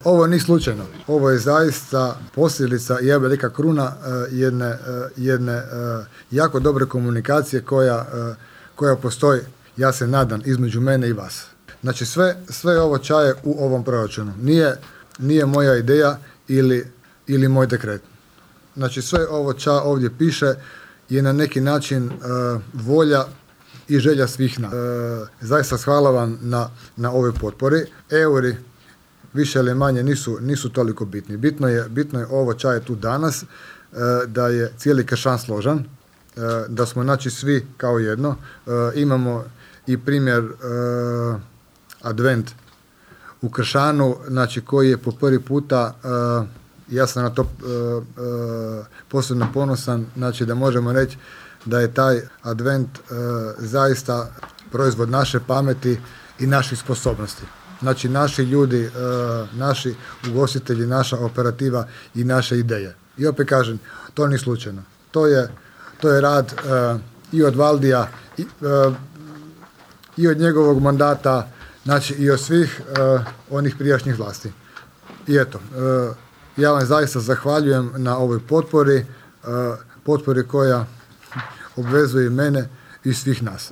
Ovo nije slučajno. Ovo je zaista posljedica, ja bih rekao kruna jedne jako dobre komunikacije koja postoji, ja se nadam, između mene i vas. Znači sve ovo čaje u ovom proračunu. Nije moja ideja ili moj dekret. Znači sve ovo ovdje piše je na neki način volja i želja svih nas. Zaista hvala vam na ovoj potpori. Euri više ili manje nisu toliko bitni. Bitno je ovo čaje tu danas, da je cijeli Kršan složan, da smo znači svi kao jedno. Imamo i primjer Advent u Kršanu, znači koji je po prvi puta, ja sam na to posebno ponosan, znači da možemo reći da je taj Advent zaista proizvod naše pameti i naših sposobnosti. Znači naši ljudi, naši ugostitelji, naša operativa i naše ideje. I opet kažem, to nije slučajno. To je rad i od Valdija i od njegovog mandata, znači i od svih onih prijašnjih vlasti. I eto, ja vam zaista zahvaljujem na ovoj potpori koja obvezuje mene i svih nas.